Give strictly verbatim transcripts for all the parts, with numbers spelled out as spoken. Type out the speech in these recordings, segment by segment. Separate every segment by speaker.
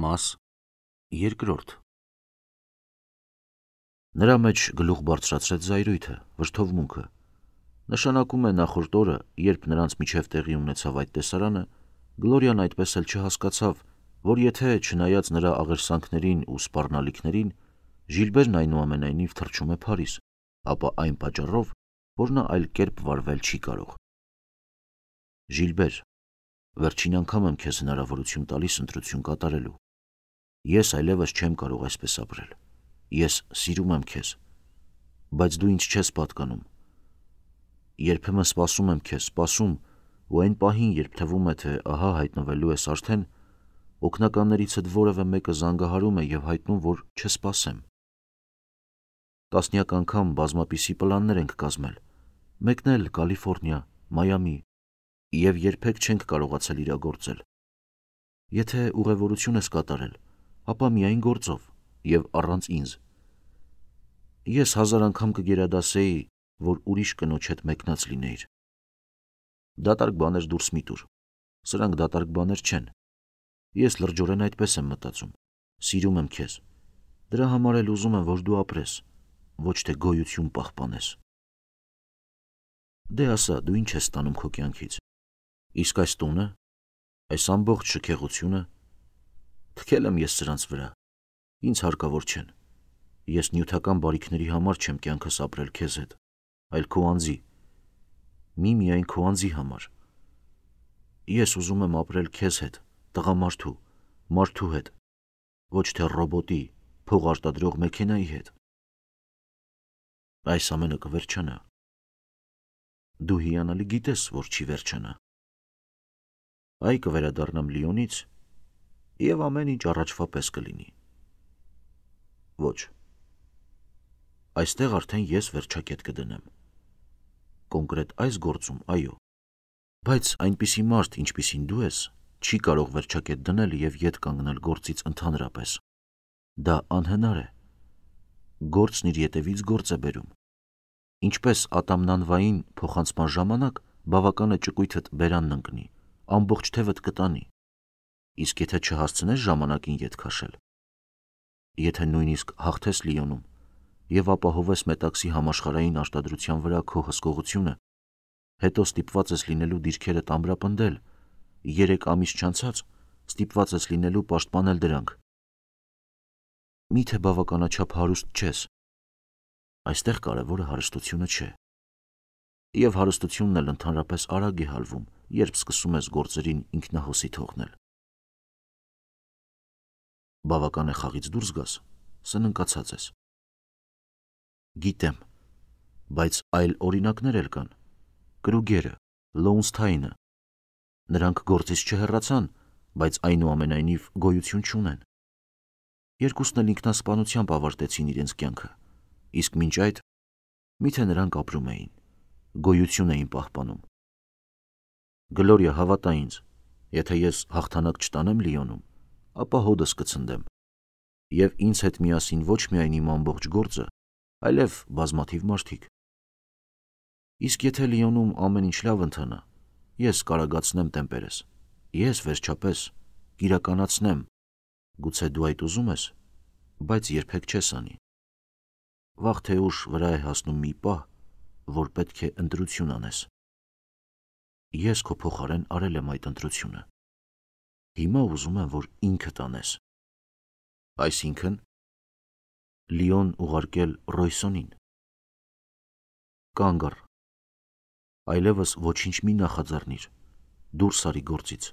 Speaker 1: Մաս երկրորդ Նրա մեջ գլուխ բարձրացրեց զայրույթը, վրդովմունքը։ Նշանակում է նախորդ օրը, երբ նրանց միջև տեղի ունեցավ այդ տեսարանը, Գլորիան այդպես էլ չհասկացավ, որ եթե չնայած նրա աղերսանքներին ու սպառնալիքներին, Ժիլբերն այնուամենայնիվ թռչում է Փարիզ, ապա այն պատճառով, որ նա այլ կերպ վարվել չի կարող։ Ժիլբեր, վերջին անգամ եմ քեզ հնարավորություն տալիս ընտրություն կատարելու։ Ես այլևս չեմ կարող այսպես ապրել։ Ես սիրում եմ քեզ, բայց դու ինձ չես պատկանում։ Երբեմն սպասում եմ քեզ, սպասում, ու այն պահին, երբ թվում է, թե ահա հայտնվելու ես արդեն, օգնականներիցդ որևէ մեկը զանգահարում է և հայտնում, որ չսպասեմ։ Տասնյակ անգամ բազմապիսի պլաններ ենք կազմել, մեկն էլ Կալիֆոռնիա, Մայամի, և երբեք չենք կարողացել իրագործել։ Եթե ուղևորություն ես կատարել, ապա միայն գործով և առանց ինձ։ Ես հազար անգամ կգերադասեի, որ ուրիշ կնոջ հետ մեկնած լինեիր։ Դատարկ բաներ դուրս մի տուր, սրանք դատարկ բաներ չեն։ Ես լրջորեն այդպես եմ մտածում, սիրում եմ քեզ, դրա համար էլ ուզում եմ, որ դու ապրես, ոչ թե գոյություն պահպանես։ Դե ասա, դու ինչ ես ստանում քո կյանքից։ Իսկ այս տունը, այս ամբողջ շքեղությունը, թքել եմ ես սրանց վրա, ինձ հարկավոր չեն։ Ես նյութական բարիքների համար չեմ կյանքս ապրել քեզ հետ, այլ քո անձի, միմիայն քո անձի համար։ Ես ուզում եմ ապրել քեզ հետ, տղամարդու, մարդու հետ, ոչ թե ռոբոտի, փող արտադրող մեքենայի հետ։ Այս ամենը կվերջանա։ Դու հիանալի գիտես, որ չի վերջանա։ Այ կվերադառնամ Լիոնից, և ամեն ինչ առաջվա պես կլինի։ Ոչ։ Այստեղ արդեն ես վերջակետ կդնեմ։ Կոնկրետ այս գործում, այո, բայց այնպիսի մարդ, ինչպիսին դու ես, չի կարող վերջակետ դնել և ետ կանգնել գործից ընդհանրապես։ Դա անհնար է։ Գործն իր ետևից գործ է բերում։ Ինչպես ատամնանվային փոխանցման ժամանակ բավական է ճկույթդ բերանն ընկնի, ամբողջ թևդ կտանի, իսկ եթե չհասցնես ժամանակին ետ քաշել, եթե նույնիսկ հաղթես Լիոնում և ապահովես Մետաքսի համաշխարհային արտադրության վրա քո հսկողությունը, հետո ստիպված ես լինելու դիրքերդ ամրապնդել, երեք ամիս չանցած ստիպված ես լինելու պաշտպանել դրանք։ Միթե բավականաչափ հարուստ չես։ Այստեղ կարևորը հարստությունը չէ։ Եվ հարստությունն էլ ընդհանրապես արագ է հալվում, երբ սկսում ես գործերին ինքնահոսի թողնել։ Բավական է խաղից դուրս գաս, սննկացած ես։ Գիտեմ, բայց այլ օրինակներ էլ կան։ Կրուգերը, Լոունսթայնը։ Նրանք գործից չհեռացան, բայց այնուամենայնիվ գոյություն չունեն։ Երկուսն էլ ինքնասպանությամբ ավարտեցին իրենց կյանքը, իսկ մինչ այդ, միթե նրանք ապրում էին, գոյություն էին պահպանում։ Գլորիա, հավատա ինձ, եթե ես հաղթանակ չտանեմ Լիոնում, ապա հոդս կցնդեմ, և ինձ հետ միասին ոչ միայն իմ ամբողջ գործը, այլև բազմաթիվ մարդիկ։ Իսկ եթե Լիոնում ամեն ինչ լավ ընթանա, ես կարագացնեմ տեմպերս, ես վերջապես կիրականացնեմ, գուցե դու այդ ուզում ես, բայց երբեք չես անի։ Վաղ թե ուշ վրա է հասնում մի պահ, որ պետք է ընտրություն անես։ Ես քո փոխարեն արել եմ այդ ընտրությունը։ Հիմա ուզում եմ, որ ինքդ անես։ Այսինքն, Լիոն ուղարկել Ռոյսոնին։ Կանգ առ։ Այլևս ոչինչ մի նախաձեռնիր, դուրս արի գործից,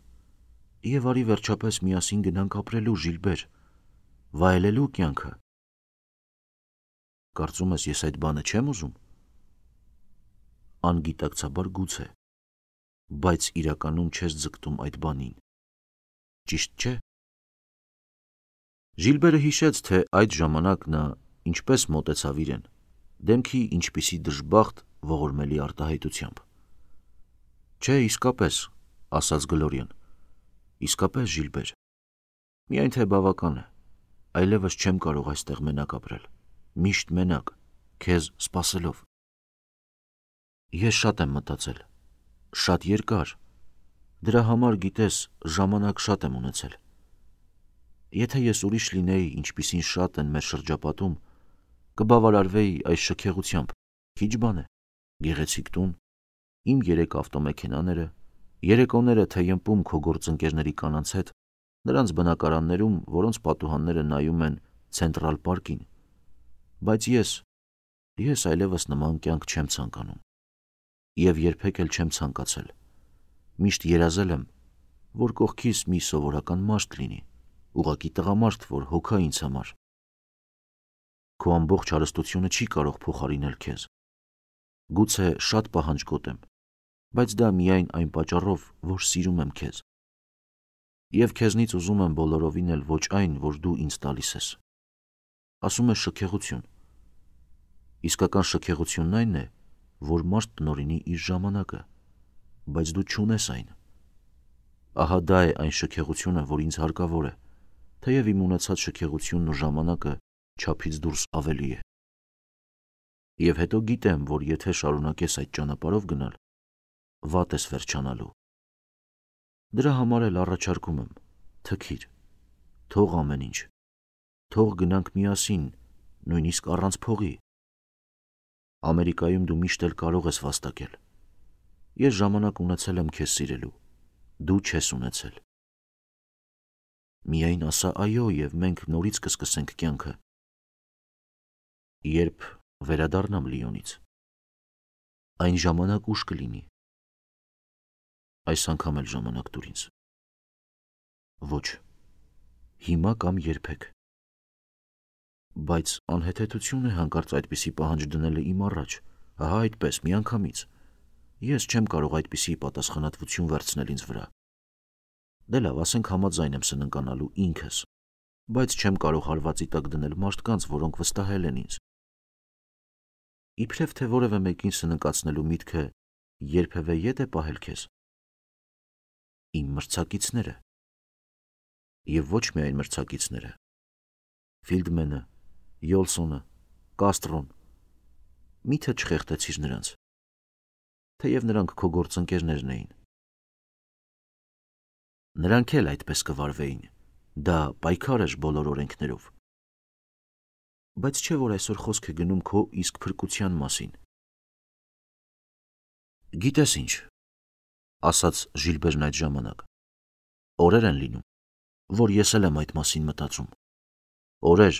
Speaker 1: և արի վերջապես միասին գնանք ապրելու, Ժիլբեր, վայելելու կյանքը։ Կարծում ես, ես այդ բանը չեմ ուզում։ Անգիտակցաբար գուցե, բայց իրականում չես ձգտում այդ բանին, ճիշտ չէ։ Ժիլբերը հիշեց, թե այդ ժամանակ նա ինչպես մոտեցավ իրեն, դեմքի ինչպիսի դժբախտ, ողորմելի արտահայտությամբ։ Չէ, իսկապես, ասաց Գլորիան, իսկապես, Ժիլբեր, միայն թե բավական է, այլևս չեմ կարող այստեղ մենակ ապրել, միշտ մենակ, քեզ սպասելով։ Ես շատ եմ մտածել, շատ երկար, դրա համար, գիտես, ժամանակ շատ եմ ունեցել։ Եթե ես ուրիշ լինեի, ինչպիսին շատ են մեր շրջապատում, կբավարարվեի այս շքեղությամբ, քիչ բան է, գեղեցիկ տուն, իմ երեք ավտոմեքենաները, երեկոները թեյըմպում քո գործընկերների կանանց հետ, նրանց բնակարաններում, որոնց պատուհանները նայում են Ցենտրալ պարկին, բայց ես, ես այլևս նման կյանք չեմ ցանկանում, և երբեք էլ չեմ ցանկացել, միշտ երազել եմ, որ կողքիս մի սովորական մարդ լինի, ուղղակի տղամարդ, որ հոգա ինձ համար։ Քո ամբողջ հարստությունը չի կարող փոխարինել քեզ, գուցե շատ պահանջկոտ եմ, բայց դա միայն այն պատճառով, որ սիրում եմ քեզ, և քեզնից ուզում եմ բոլորովին էլ ոչ այն, որ դու ինձ տալիս ես։ Ասում ես շքեղություն, իսկական շքեղությունն այն է, որ մարդ տնօրինի իր ժամանակը, բայց դու չունես այն։ Ահա դա է այն շքեղությունը, որ ինձ հարկավոր է, թեև իմ ունեցած շքեղությունն ու ժամանակը չափից դուրս ավելի է։ Եվ հետո գիտեմ, որ եթե շարունակես այդ ճանապարհով գնալ, վատ ես վերջանալու։ Դրա համար էլ առաջարկում եմ, թքիր, թող ամեն ինչ, թող գնանք միասին, նույնիսկ առանց փողի։ Ամերիկայում դու միշտ էլ կարող ես վաստակել։ Ես ժամանակ ունեցել եմ քեզ սիրելու, դու չես ունեցել։ Միայն ասա այո, և մենք նորից կսկսենք կյանքը։ Երբ վերադառնամ Լիոնից, այն ժամանակ ուշ կլինի։ Այս անգամ էլ ժամանակ տուր ինձ։ Ոչ, հիմա կամ երբեք։ Բայց անհեթեթություն է հանկարծ այդպիսի պահանջ դնելը իմ առաջ, ահա այդպես, միանգամից։ Ես չեմ կարող այդպիսի պատասխանատվություն վերցնել ինձ վրա։ Դե լավ, ասենք համաձայն եմ սննկանալու ինքս, բայց չեմ կարող հարվածի տակ դնել մարդկանց, որոնք վստահել են ինձ։ Իբրև թե որևէ մեկին սննկացնելու միտքը երբևէ ետ է պահել քեզ։ Իմ մրցակիցները։ Եվ ոչ միայն մրցակիցները։ Ֆիլդմենը, Յոլսոնը, Կաստրոն, միթե չխեղդեցիր նրանց, թեև նրանք քո գործընկերներն էին։ Նրանք էլ այդպես կվարվեին, դա պայքար էր բոլոր օրենքներով։ Բայց չէ՞ որ այսօր խոսք է գնում քո իսկ փրկության մասին։ Գիտես ինչ, ասաց Ժիլբերն այդ ժամանակ, օրեր են լինում, որ ես էլ եմ այդ մասին մտածում։ Օրեր,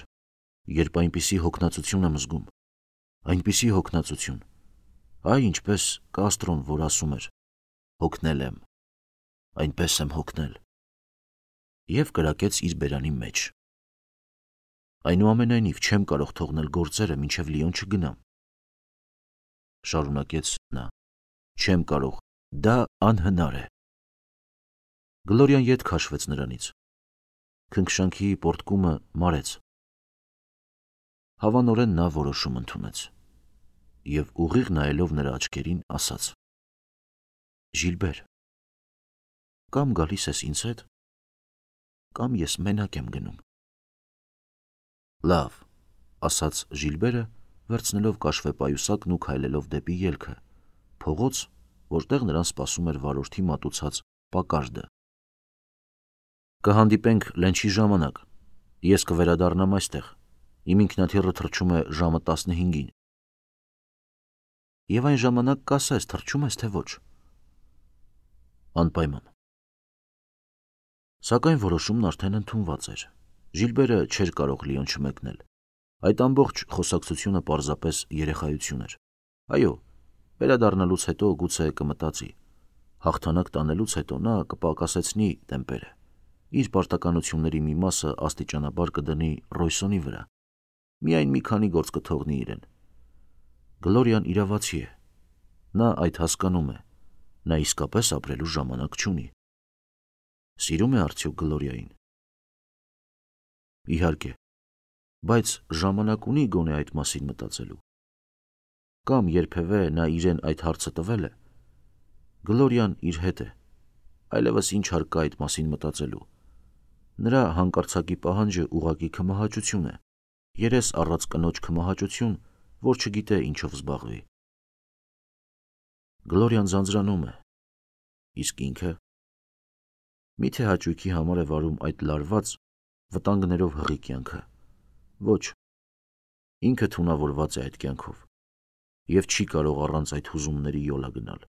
Speaker 1: երբ այնպիսի հոգնածություն եմ զգում, այնպիսի հոգնածություն, այ ինչպես Կաստրոն, որ ասում էր, հոգնել եմ, այնպես եմ հոգնել, և կրակեց իր բերանի մեջ։ Այնուամենայնիվ չեմ կարող թողնել գործերը, մինչև Լիոն չգնամ, շարունակեց նա, չեմ կարող, դա անհնար է։ Գլորիան ետ քաշվեց նրանից, քնքշանքի պոռթկումը մարեց։ Հավանորեն նա որոշում ընդունեց և ուղիղ նայելով նրա աչքերին ասաց. Ժիլբեր, կամ գալիս ես ինձ հետ, կամ ես մենակ եմ գնում։ Լավ, ասաց Ժիլբերը, վերցնելով կաշվեպայուսակն ու քայլելով դեպի ելքը, փողոց, որտեղ նրան սպասում էր վարորդի մատուցած Պակարդը։ Կհանդիպենք լենչի ժամանակ, ես կվերադառնամ այստեղ, իմ ինքնաթիռը թռչում է ժամը տասնհինգին։ Եվ այն ժամանակ կասես, թռչում ես թե ոչ։ Անպայման։ Սակայն որոշումն արդեն ընդունված էր։ Ժիլբերը չէր կարող Լիոն չմեկնել։ Այդ ամբողջ խոսակցությունը պարզապես երեխայություն էր։ Այո, վերադառնալուց հետո գուցե կմտածի, հաղթանակ տանելուց հետո նա կպակասեցնի տեմպերը, իր պարտականությունների մի մասը աստիճանաբար կդնի Ռոյսոնի վրա, միայն մի քանի գործ կթողնի իրեն։ Գլորիան իրավացի է, նա այդ հասկանում է, նա իսկապես ապրելու ժամանակ չունի։ Սիրում է արդյոք Գլորիային։ Իհարկե, բայց ժամանակ ունի գոնե այդ մասին մտածելու։ Կամ երբևէ նա իրեն այդ հարցը տվել է։ Գլորիան իր հետ է, այլևս ինչ հարկ կա այդ մասին մտածելու։ Նրա հանկարծակի պահանջը ուղղակի քմահաճություն է, երես առած կնոջ քմահաճություն, որ չգիտե ինչով զբաղվի։ Գլորիան ձանձրանում է, իսկ ինքը։ Միթե հաճույքի համար է վարում այդ լարված, վտանգներով հղի կյանքը։ Ոչ, ինքը թունավորված է այդ կյանքով և չի կարող առանց այդ հուզումների յոլա գնալ։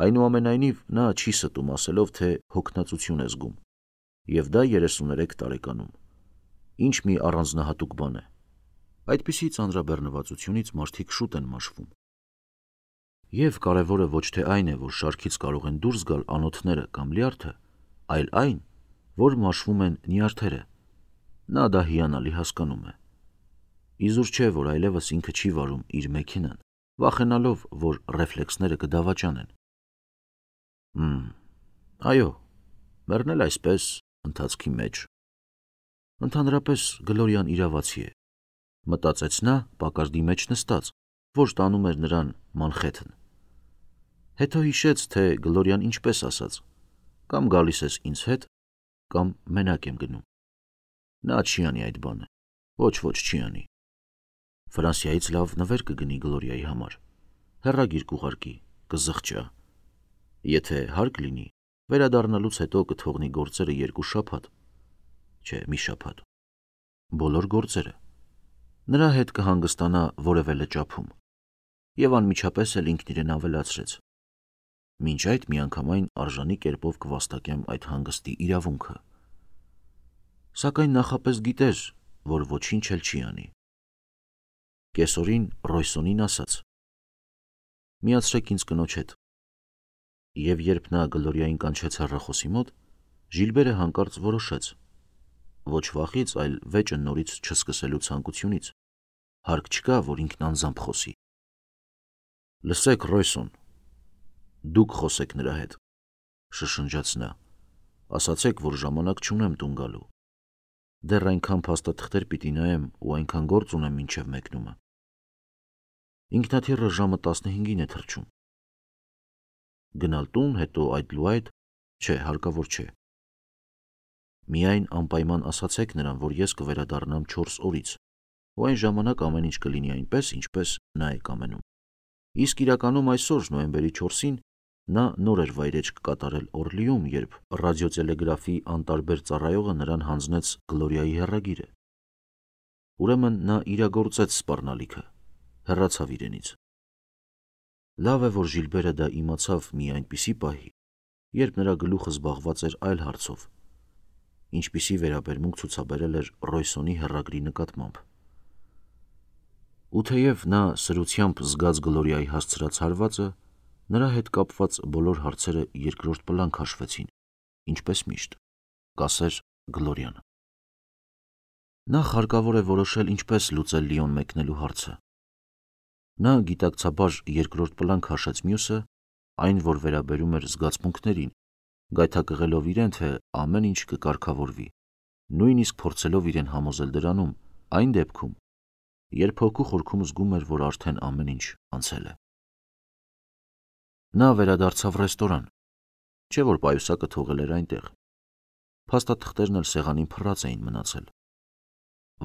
Speaker 1: Այնուամենայնիվ նա չի ստում ասելով, թե հոգնածություն է զգում, և դա երեսուներեք տարեկանում։ Ինչ մի առանձնահատուկ բան է։ Այդպիսի ծանրաբեռնվածությունից մարդիկ շուտ են մաշվում։ Եվ կարևորը ոչ թե այն է, որ շարքից կարող են դուրս գալ անոթները կամ լյարդը, այլ այն, որ մաշվում են նյարդերը։ Նա դա հիանալի հասկանում է։ Իզուր չէ, որ այլևս ինքը չի վարում իր մեքենան, վախենալով, որ ռեֆլեքսները կդավաճանեն։ Հմ, այո, մեռնել այսպես, ընթացքի մեջ։ Ընդհանրապես Գլորիան իրավացի է, մտածեց նա պակարդի մեջ նստած, որ տանում էր նրան Մանխեթեն։ Հետո հիշեց, թե Գլորիան ինչպես ասաց. կամ գալիս ես ինձ հետ, կամ մենակ եմ գնում։ Նա չի անի այդ բանը, ոչ ոչ չի անի։ Ֆրանսիայից լավ նվեր կգնի Գլորիայի համար, հեռագիր կուղարկի, կզղջա։ Եթե հարկ լինի, վերադառնալուց հետո կթողնի գործերը երկու շաբաթ, չէ, մի շաբաթ, բոլոր գործերը։ Նրա հետ կհանգստանա որևէ լճափում, և անմիջապես էլ ինքն իրեն ավելացրեց. մինչ այդ միանգամայն արժանի կերպով կվաստակեմ այդ հանգստի իրավունքը։ Սակայն նախապես գիտեր, որ ոչինչ էլ չի անի։ Կեսօրին Ռոյսոնին ասաց. միացրեք ինձ կնոջ հետ։ Եվ երբ նա Գլորիային կանչեց հեռախոսի մոտ, Ժիլբերը հանկարծ որոշեց. ոչ վախից, այլ վեճը նորից չսկսելու ցանկությունից, հարկ չկա, որ ինքն անձամբ խոսի։ Լսեք, Ռոյսոն, դուք խոսեք նրա հետ, շշնջաց նա, ասացեք, որ ժամանակ չունեմ տուն գալու։ Դեռ այնքան փաստաթղթեր պիտի նայեմ ու այնքան գործ ունեմ մինչև մեկնումը։ Ինքնաթիռը ժամը տասնհինգին է թռչում։ Գնալ տուն, հետո այդ լու այդ, չէ, հարկավոր չէ։ Միայն անպայման ասացեք նրան, որ ես կվերադառնամ չորս օրից, ու այն ժամանակ ամեն ինչ կլինի այնպես, ինչպես նա է կամենում։ Իսկ իրականում այսօր նոյեմբերի չորսին նա նոր էր վայրեջք կատարել Օրլիում, երբ ռադիոտելեգրաֆի անտարբեր ծառայողը նրան հանձնեց Գլորիայի հեռագիրը։ Ուրեմն նա իրագործեց սպառնալիքը, հեռացավ իրենից։ Լավ է, որ Ժիլբերը դա իմացավ մի այնպիսի պահի, երբ նրա գլուխը զբաղված էր այլ հարցով, ինչպիսի վերաբերմունք ցուցաբերել էր Ռոյսոնի հեռագրի նկատմամբ։ Ու թեև նա սրությամբ զգաց Գլորիայի հասցրած հարվածը, նրա հետ կապված բոլոր հարցերը երկրորդ պլան քաշվեցին, ինչպես միշտ, կասեր Գլորիան։ Նախ հարկավոր է որոշել ինչպես լուծել Լիոն մեկնելու հարցը։ Նա գիտակցաբար երկրորդ պլան քաշեց մյուսը, այն, որ վերաբերում էր զգացմունքներին, գայթակղելով իրեն, թե ամեն ինչ կկարգավորվի, նույնիսկ փորձելով իրեն համոզել դրանում, այն դեպքում, երբ հոգու խորքում զգում էր, որ արդեն ամեն ինչ անցել է։ Նա վերադարձավ ռեստորան, չէ որ պայուսակը թողել էր այնտեղ։ Փաստաթղթերն էլ սեղանին փռած էին մնացել։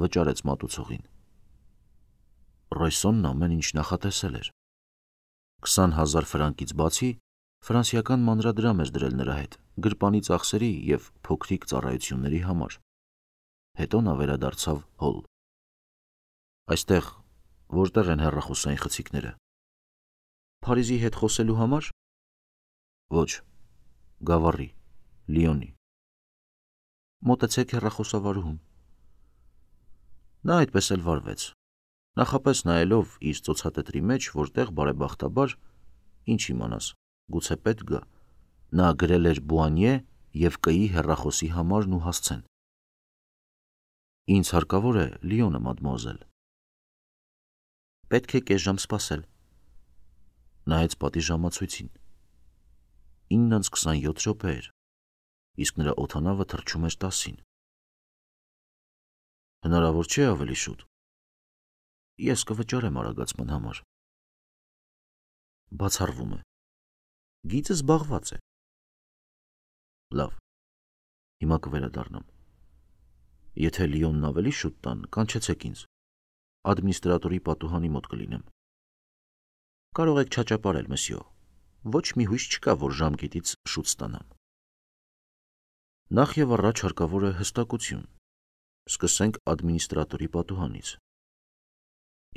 Speaker 1: Վճարեց մատուցողին։ Ռոյսոնն ամեն ինչ նախատեսել էր։ Քսան հազար ֆրանկից բացի ֆրանսիական մանրադրամ էր դրել նրա հետ գրպանի ծախսերի և փոքրիկ ծառայությունների համար։ Հետո նա վերադարձավ հոլ։ Այստեղ որտեղ են հեռախոսային խցիկները։ Փարիզի հետ խոսելու համար։ Ոչ, Գավառի, Լիոնի։ Մոտեցեք հեռախոսավարուհուն։ Նա այդպես էլ վարվեց, նախապես նայելով իր ծոցատետրի մեջ, որտեղ բարեբախտաբար, ինչ իմանաս, գուցե պետք գա, նա գրել էր Բուանիե և Կ-ի հեռախոսի համարն ու հասցեն։ Ինձ հարկավոր է Լիոնը, մադմուազել։ Պետք է կես ժամ սպասել։ Նայեց պատի ժամացույցին։ ինը անց քսանյոթ րոպե էր, իսկ նրա օդանավը թռչում էր տասին։ Հնարավոր չէ ավելի շուտ։ Ես կվճարեմ արագացման համար։ Բացառվում է։ Գիծը զբաղված է։ Լավ, հիմա կվերադառնամ։ Եթե Լիոնն ավելի շուտ տան, կանչեցեք ինձ։ Ադմինիստրատորի պատուհանի մոտ կլինեմ։ Կարող եք չաճապարել, մսյո, ոչ մի հույս չկա, որ ժամկետից շուտ ստանամ։ Նախ և առաջ հարկավոր է հստակություն, Սկսենք ադմինիստրատորի պատուհանից։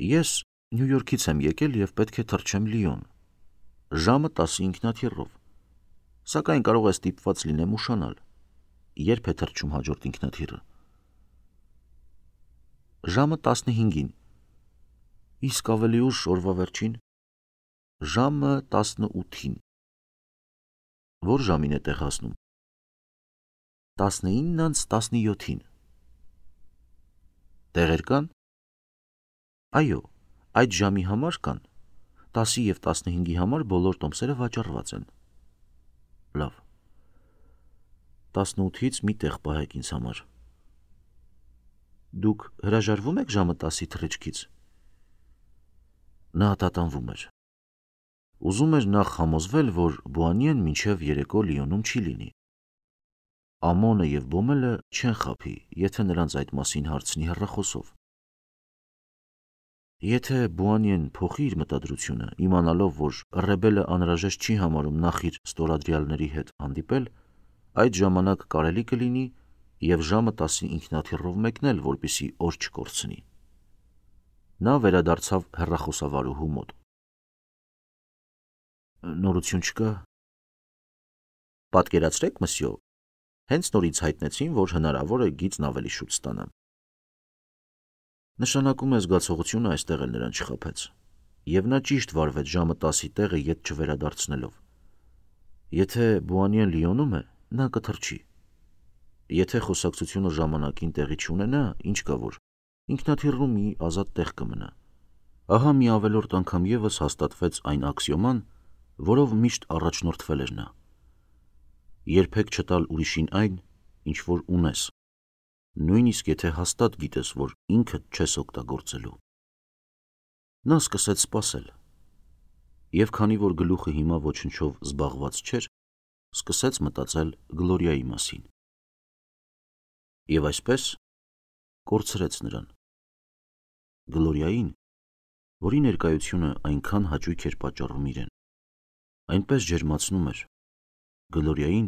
Speaker 1: Ես Նյու Յորքից եմ եկել և պետք է թռչեմ Լիոն։ Ժամը տասը ինքնաթիռով։ Սակայն կարող է ստիպված լինեմ ուշանալ։ Երբ է թռչում հաջորդ ինքնաթիռը։ Ժամը տասնհինգին։ Իսկ ավելի ուշ օրվա վերջին։ Ժամը տասնութին։ Որ ժամին է տեղ հասնում։ տասնինն անց տասնյոթին։ Տեղեր կան։ Այո, այդ ժամի համար կան։ տասի և տասնհինգի համար բոլոր տոմսերը վաճառված են։ Լավ։ տասնութից մի տեղ պահեք ինձ համար։ Դուք հրաժարվում եք ժամը տասի թռիչքից։ Նա տատանվում էր։ Ուզում էր նախ համոզվել, որ Բուանիեն մինչև երեկո Լիոնում չի լինի։ Ամոնը և Բոմելը չեն խաբի, եթե նրանց այդ մասին հարցնի հեռախոսով։ Եթե Բուանիեն փոխի իր մտադրությունը, իմանալով, որ Ռեբելը անհրաժեշտ չի համարում նախ իր ստորադրյալների հետ հանդիպել, այդ ժամանակ կարելի կլինի և ժամը տասի ինքնաթիռով մեկնել, որպեսզի օր չկորցնի։ Նա վերադարձավ հեռախոսավարուհու մոտ։ Նորություն չկա։ Պատկերացրեք, մսյո, հենց նորից հայտնեցին, որ հնարավոր է գիծն ավելի շուտ ստանամ։ Նշանակում է զգացողությունը այստեղ էլ նրան չխաբեց, և նա ճիշտ վարվեց ժամը տասի տեղը ետ չվերադարձնելով։ Եթե Բուանիեն Լիոնում է, նա կթռչի։ Եթե խոսակցությունը ժամանակին տեղի չունենա, ինչ կա որ, ինքնաթիռում մի ազատ տեղ կմնա։ Ահա մի ավելորդ անգամ ևս հաստատվեց այն աքսիոման, որով միշտ առաջնորդվել էր նա։ Երբեք չտալ ուրիշին այն, ինչ որ ունես, նույնիսկ եթե հաստատ գիտես, որ ինքդ չես օգտագործելու։ Նա սկսեց սպասել, և քանի որ գլուխը հիմա ոչնչով զբաղված չէր, սկսեց մտածել Գլորիայի մասին։ Եվ այսպես կորցրեց նրան։ Գլորիային, որի ներկայությունը այնքան հաճույք էր պատճառում իրեն, այնպես ջերմացնում էր, Գլորիային,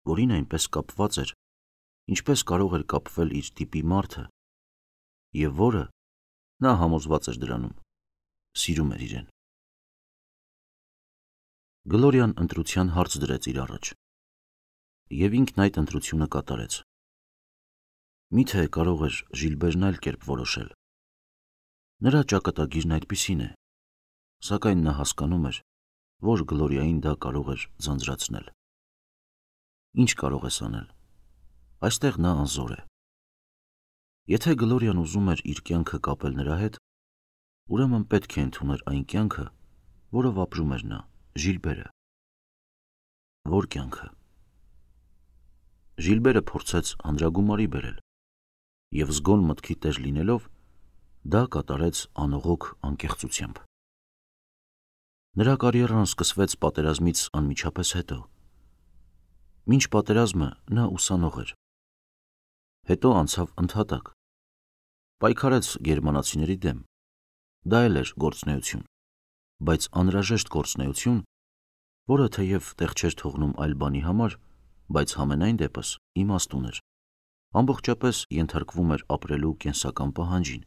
Speaker 1: որին այնպես կապված էր, ինչպես կարող էր կապվել իր տիպի մարդը, և որը, նա համոզված էր դրանում, սիրում էր իրեն։ Գլորիան ընտրության հարց դրեց իր առաջ, և ինքն այդ ընտրությունը կատարեց։ Միթե կարող էր Ժիլբերն այլ կերպ որոշել։ Նրա ճակատագիրն այդպիսին է, սակայն նա հասկանում էր, որ Գլորիային դա կարող էր ձանձրացնել։ Ինչ կարող ես անել։ Այստեղ նա անզոր է։ Եթե Գլորիան ուզում էր իր կյանքը կապել նրա հետ, ուրեմն պետք է ընդուներ այն կյանքը, որով ապրում էր նա, Ժիլբերը։ Որ կյանքը։ Ժիլբերը փորձեց հանրագումարի բերել, և զգոն մտքի տեր լինելով, դա կատարեց անողոք անկեղծությամբ։ Նրա կարիերան սկսվեց պատերազմից անմիջապես հետո։ Մինչ պատերազմը նա ուսանող էր։ Հետո անցավ ընդհատակ։ Պայքարեց գերմանացիների դեմ։ Դա էլ էր գործունեություն, բայց անհրաժեշտ գործունեություն, որը թեև տեղ չէր թողնում այլ բանի համար, բայց համենայն դեպս իմաստ ուներ, ամբողջապես ենթարկվում էր ապրելու կենսական պահանջին։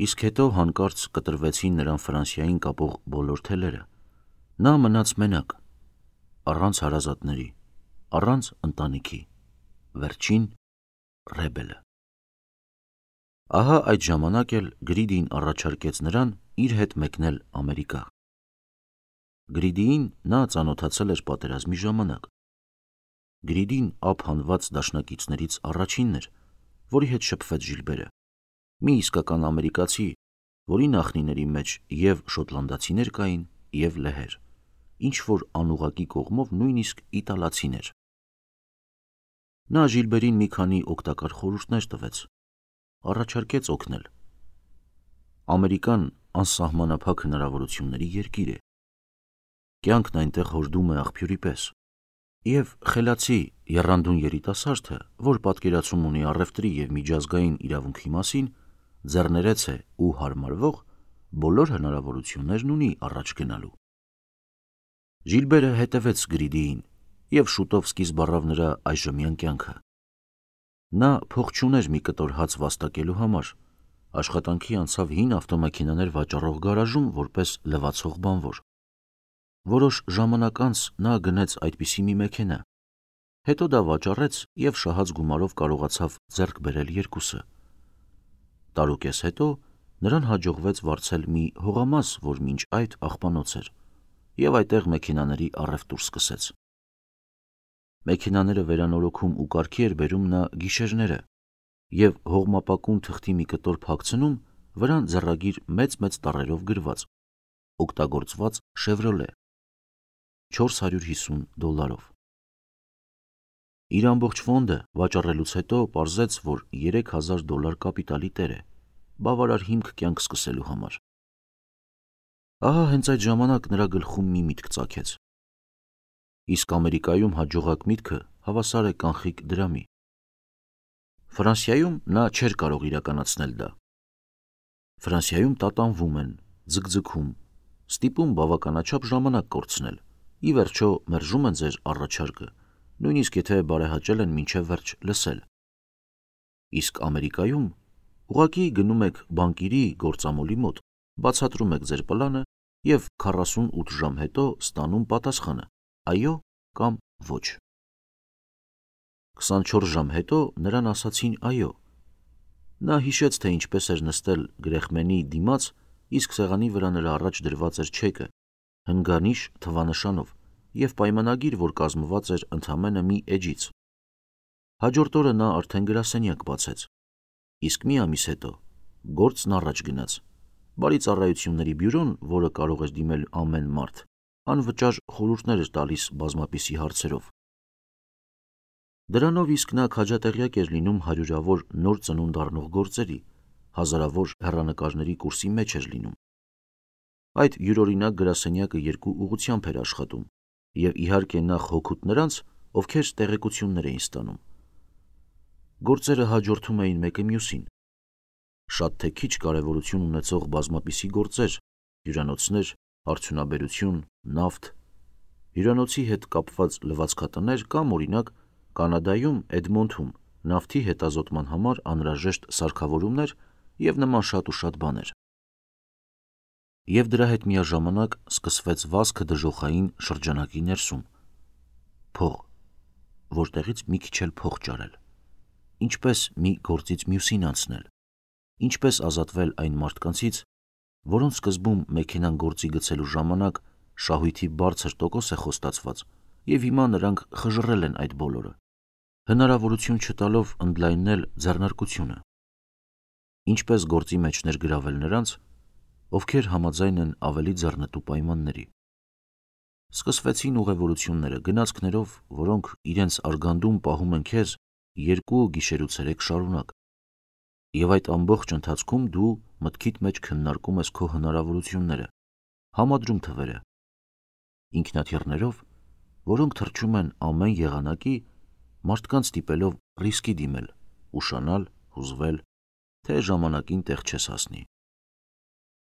Speaker 1: Իսկ հետո հանկարծ կտրվեցին նրան Ֆրանսիային կապող բոլոր թելերը։ Նա մնաց մենակ, առանց հարազատների, առանց ընտանիքի, վերջին Ռեբելը։ Ահա այդ ժամանակ էլ Գրիդին առաջարկեց նրան իր հետ մեկնել Ամերիկա։ Գրիդիին նա ծանոթացել էր պատերազմի ժամանակ։ Գրիդին ափ հանված դաշնակիցներից առաջինն էր, որի հետ շփվեց Ժիլբերը, մի իսկական ամերիկացի, որի նախնիների մեջ և շոտլանդացիներ կային, և լեհեր, ինչ-որ անուղղակի կողմով նույնիսկ իտալացիներ։ Նա Ժիլբերին մի քանի օգտակար խորհուրդներ տվեց, առաջարկեց օգնել։ Ամերիկան անսահմանափակ հնարավորությունների երկիր է։ Կյանքն այնտեղ հորդում է աղբյուրի պես, և խելացի եռանդուն երիտասարդը, որ պատկերացում ունի առևտրի և միջազգային իրավունքի մասին, ձեռներեց է ու հարմարվող բոլոր հնարավորություններն ունի առաջ գնալու։ Ժիլբերը հետևեց Գրիդիին և շուտով սկիզբ առավ նրա այժմյան կյանքը։ Նա փող չուներ մի կտոր հաց վաստակելու համար, աշխատանքի անցավ հին ավտոմեքենաներ վաճառող գարաժում որպես լվացող բանվոր։ Որոշ ժամանակ անց նա գնեց այդպիսի մի մեքենա, հետո դա վաճառեց և շահած գումարով կարողացավ ձեռք բերել երկուսը։ Տարուկես հետո նրան հաջողվեց վարձել մի հողամաս, որ մինչ այդ աղբանոց էր, և այդտեղ մեքենաների առևտուր սկսեց։ Մեքենաները վերանորոգում ու կարգի էր բերում նա գիշերները և հողմապակուն թղթի մի կտոր փակցնում, վրան ձեռագիր մեծ-մեծ տառերով գրված «Օգտագործված Շևրոլե» չորս հարյուր հիսուն դոլարով։ Իր ամբողջ ֆոնդը վաճառելուց հետո պարզեց, որ երեք հազար դոլար կապիտալի տեր է, բավարար հիմք կյանք սկսելու համար։ Ահա հենց այդ ժամանակ նրա գլխում մի միտք ծագեց։ Իսկ Ամերիկայում հաջողակ միտքը հավասար է կանխիկ դրամի։ Ֆրանսիայում նա չէր կարող իրականացնել դա։ Ֆրանսիայում տատանվում են, ձգձգում, ստիպում բավականաչափ ժամանակ կորցնել, ի վերջո մերժում են ձեր առաջարկը, նույնիսկ եթե բարեհաճել են մինչև վերջ լսել։ Իսկ Ամերիկայում ուղղակի գնում եք բանկիրի գործամոլի մոտ, բացատրում եք ձեր պլանը և քառասունութ ժամ հետո ստանում պատասխանը՝ այո կամ ոչ։ քսանչորս ժամ հետո նրան ասացին այո։ Նա հիշեց, թե ինչպես էր նստել գրեխմենի դիմաց, իսկ սեղանի վրա նրա առաջ դրված էր չեկը, հնգանիշ թվանշանով և պայմանագիր, որ կազմված էր ընդամենը մի էջից։ Հաջորդ օրը նա արդեն գրասենյակ բացեց, իսկ մի ամիս հետո գործն առաջ գնաց։ Բարի ծառայությունների բյուրոն, որը կարող էր դիմել ամեն մարդ, անվճար խորհուրդներ էր տալիս բազմապիսի հարցերով։ Դրանով իսկ նա քաջատեղյակ էր լինում հարյուրավոր նոր ծնունդ առնող գործերի, հազարավոր հեռանկարների կուրսի մեջ էր լինում։ Այդ յուրօրինակ գրասենյակը երկու ուղղությամբ էր աշխատում, և իհարկե նախ հօգուտ նրանց, ովքեր տեղեկություններ էին ստանում։ Գործերը հաջորդում էին մեկը մյուսին։ Շատ թե քիչ կարևորություն ունեցող բազմապիսի գործեր, հյուրանոցներ, արդյունաբերություն, նավթ, հյուրանոցի հետ կապված լվացքատներ կամ, օրինակ, Կանադայում Էդմոնթում նավթի հետազոտման համար անհրաժեշտ սարքավորումներ և նման շատ ու շատ բաներ։ Եվ դրա հետ միաժամանակ սկսվեց վազքը դժոխային շրջանակի ներսում։ Փող, որտեղից մի քիչ էլ փող ճարել, ինչպես մի գործից մյուսին անցնել, ինչպես ազատվել այն մարդկանցից, որոնց սկզբում մեքենան գործի գցելու ժամանակ շահույթի բարձր տոկոս է խոստացված, և հիմա նրանք խժռել են այդ բոլորը, հնարավորություն չտալով ընդլայնել ձեռնարկությունը։ Ինչպես գործի մեջ ներգրավել նրանց, ովքեր համաձայն են ավելի ձեռնտու պայմանների։ Սկսվեցին ուղևորությունները գնացքներով, որոնք իրենց արգանդում պահում են քեզ երկու գիշերուցերեկ շարունակ, և այդ ամբողջ ընթացքում դու մտքիդ մեջ քննարկում ես քո հնարավորությունները, համադրում թվերը, ինքնաթիռներով, որոնք թռչում են ամեն եղանակի, մարդկանց ստիպելով ռիսկի դիմել, ուշանալ, հուզվել, թե ժամանակին տեղ չես հասնի։